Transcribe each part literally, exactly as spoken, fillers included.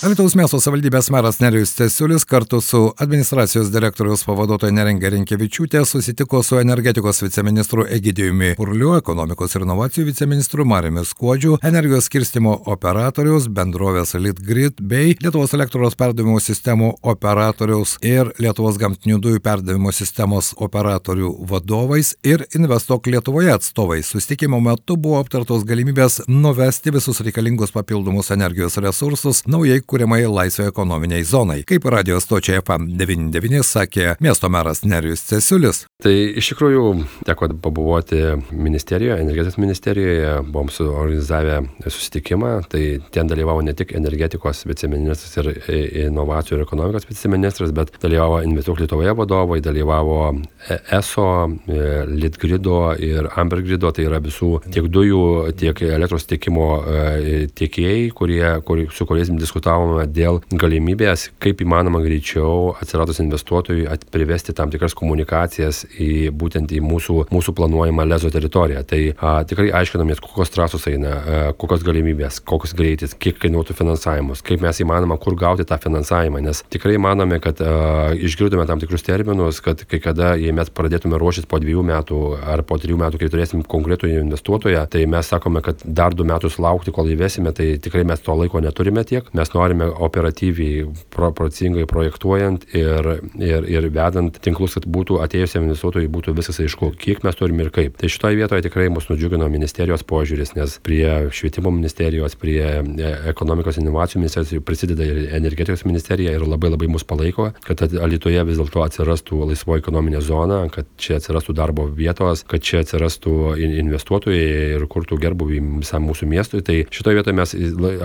Alytaus miesto savivaldybės meras Nerijus Cesiulis kartu su administracijos direktoriaus pavaduotoja Neringa Rinkevičiūtė susitiko su energetikos viceministru Egidijumi Purliu, ekonomikos ir inovacijų viceministru Mariumi Skuodžiu, energijos skirstymo operatoriaus bendrovės Litgrid bei Lietuvos elektros perdavimo sistemų operatoriaus ir Lietuvos gamtinių dujų perdavimo sistemos operatorių vadovais ir Investuok Lietuvoje atstovais. Susitikimo metu buvo aptartos galimybės nuvesti visus reikalingus papildomus energijos resursus naujai kuriamai laisvai ekonominiai zonai. Kaip radio stočiai F M devyniasdešimt devyni sakė miesto meras Nerijus Cesiulis. Tai iš tikrųjų teko pabuvoti ministerijoje, energetikos ministerijoje, buvom suorganizavę susitikimą, tai ten dalyvavo ne tik energetikos viceministras ir inovacijų ir ekonomikos viceministras, bet dalyvavo Investuok Lietuvoje vadovai, dalyvavo E S O, Litgrido ir Ambergrido, tai yra visų tiek dujų, tiek elektros tiekimo tiekėjai, kurie, kur, su kuriais diskutavome dėl galimybės, kaip įmanoma greičiau atsiradus investuotojui privesti tam tikras komunikacijas į būtent į mūsų, mūsų planuojamą Lezo teritoriją. Tai a, tikrai aiškinamės, kokios trasos eina, a, kokios galimybės, kokios greitis, kiek kainuotų finansavimus, kaip mes įmanoma, kur gauti tą finansavimą, nes tikrai manome, kad a, išgirdome tam tikrus terminus, kad kai kada, jei mes pradėtume ruoštis po dviejų metų ar po trijų metų, kai turėsim konkretų investuotoją, tai mes sakome, kad dar du metus laukti, kol įvesime, tai tikrai mes to laiko neturime tiek. Mes norime operatyviai, proporcingai projektuojant ir, ir, ir vedant tinklus, kad būtų atėjusiam investuotojui būtų viskas aišku, kiek mes turime ir kaip. Tai šitoje vietoje tikrai mus nudžiugino ministerijos požiūris, nes prie švietimo ministerijos, prie ekonomikos inovacijų ministerijos prisideda ir energetikos ministerija ir labai labai mus palaiko, kad Alytuje vis dėlto atsirastų laisvoji ekonominė zona, kad čia atsirastų darbo vietos, kad čia atsirastų investuotojai ir kurtų gerbuvį visam mūsų miestui. Tai šitoje vietoje mes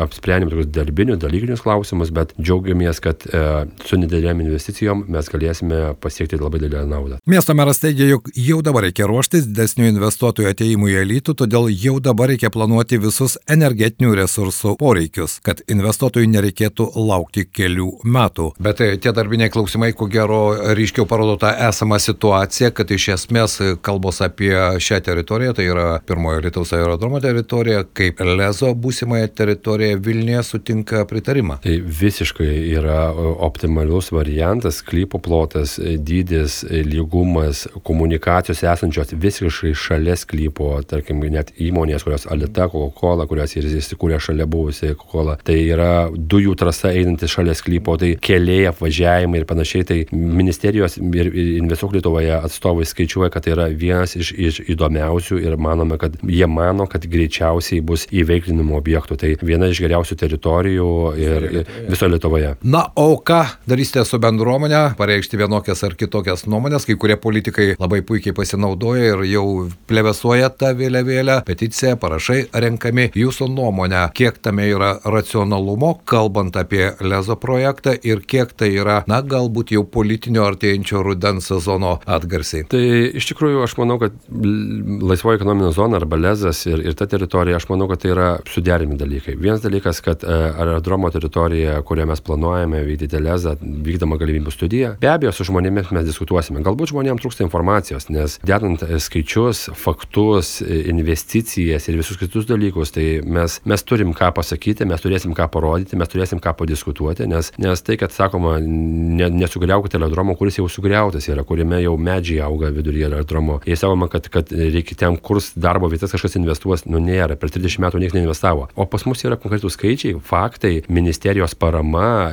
apsprendėme tokius darbinius, dalykinius klausimus, bet džiaugiamės, kad e, su didelėm investicijom mes galėsime pasiekti labai didelę naudą. Miesto meras teigia, jog jau dabar reikia ruoštis didesnių investuotojų atėjimui į Alytų, todėl jau dabar reikia planuoti visus energetinių resursų poreikius, kad investuotojų nereikėtų laukti kelių metų. Bet tie darbiniai klausimai, ko gero, ryškiau parodo tą esamą situaciją, kad iš esmės kalbos apie šią teritoriją, tai yra pirmojo Alytaus aerodromo teritorija, kaip Lezo būsimąją teritoriją Vilniuje sutinka pritarimą. Tai visiškai yra optimalus variantas, sklypo plotas, dydis, lygumas, komunikacijos esančios visiškai šalia sklypo, tarkim, net įmonės, kurios Alyta, Coca-Cola, kurios ir įsikūrė šalia buvusi Coca-Cola, tai yra dujų trasa einanti šalia sklypo, tai keliai, apvažiavimai ir panašiai, tai ministerijos ir Investuok Lietuvoje atstovai skaičiuoja, kad tai yra vienas iš, iš įdomiausių ir manome, kad jie mano, kad greičiausiai bus įveiklinimo objektų, tai viena iš geriausių teritorijų ir, ir viso Lietuvoje. Na, o ką darysite su bendruomenė, pareikšti vienokias ar kitokias nuomonės, kai kurie politikai labai puikiai pasinaudoja ir jau plevesuoja tą vėliavėlę, peticiją, parašai renkami. Jūsų nuomonė, kiek tame yra racionalumo, kalbant apie Lezo projektą ir kiek tai yra, na, galbūt jau politinio artėjančio rudens sezono atgarsiai? Tai iš tikrųjų aš manau, kad laisvoji ekonominė zona arba Lezas ir, ir ta teritorija, aš manau, kad tai yra suderinami dalykai. Vienas dalykas, kad aerodromo teritorija, kurią mes planuojame vykdyti Lezą, vykdama galimybių studija, be abejo, su žmonėmis mes diskutuosime. Galbūt žmonėms trūksta informacijos, nes dedant skaičius, faktus, investicijas ir visus kitus dalykus, tai mes, mes turim ką pasakyti, mes turėsim ką parodyti, mes turėsim ką padiskutuoti, nes, nes tai, kad sakoma, ne, nesugriaukite aerodromo, kuris jau sugriautas yra, kuriame jau medžiai auga viduryje aerodromo. Jei sakoma, kad, kad reikia ten kurs darbo vietas kažkas investuos, nu nėra, per trisdešimt metų niekas neinvestavo. O pas mus yra konkretų skaičiai, faktai, ministerijos parama,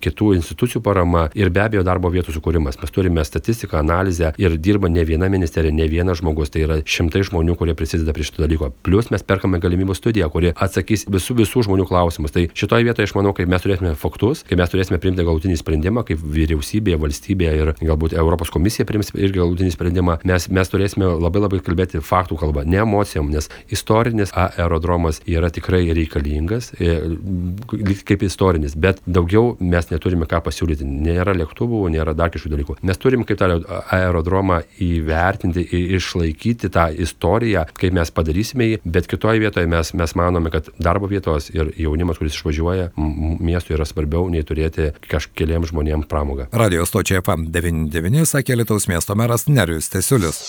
kitų institucijų parama ir be abejo darbo vietų sukūrimas. Mes turime statistiką, analizę ir dirba ne viena ministerija, ne vienas žmogus, tai yra šimtai žmonių, kurie prisideda prie šito dalyko. Plius mes perkame galimybių studiją, kuri atsakys visų visų žmonių klausimus. Tai šitoje vietoje aš manau, kai mes turėsime faktus, kai mes turėsime priimti galutinį sprendimą, kaip vyriausybė, valstybė ir galbūt Europos komisija priims irgi galutinį sprendimą, mes, mes turėsime labai labai kalbėti faktų kalbą, ne emocijom, nes istorinis aerodromas yra tikrai reikalingas, kaip istorinis, bet daugiau mes neturime ką pasiūlyti. Nėra lėktuvų, nėra dar kažkokių dalykų. Mes turim kaip tą aerodromą įvertinti ir išlaikyti tą istoriją, kaip mes padarysime jį, bet kitoje vietoje mes, mes manome, kad darbo vietos ir jaunimas, kuris išvažiuoja, miestui yra svarbiau nei turėti kažkeliems žmonėms pramogą. Radio stočiai F M devyniasdešimt devyni sakė Alytaus miesto meras Nerijus Cesiulis.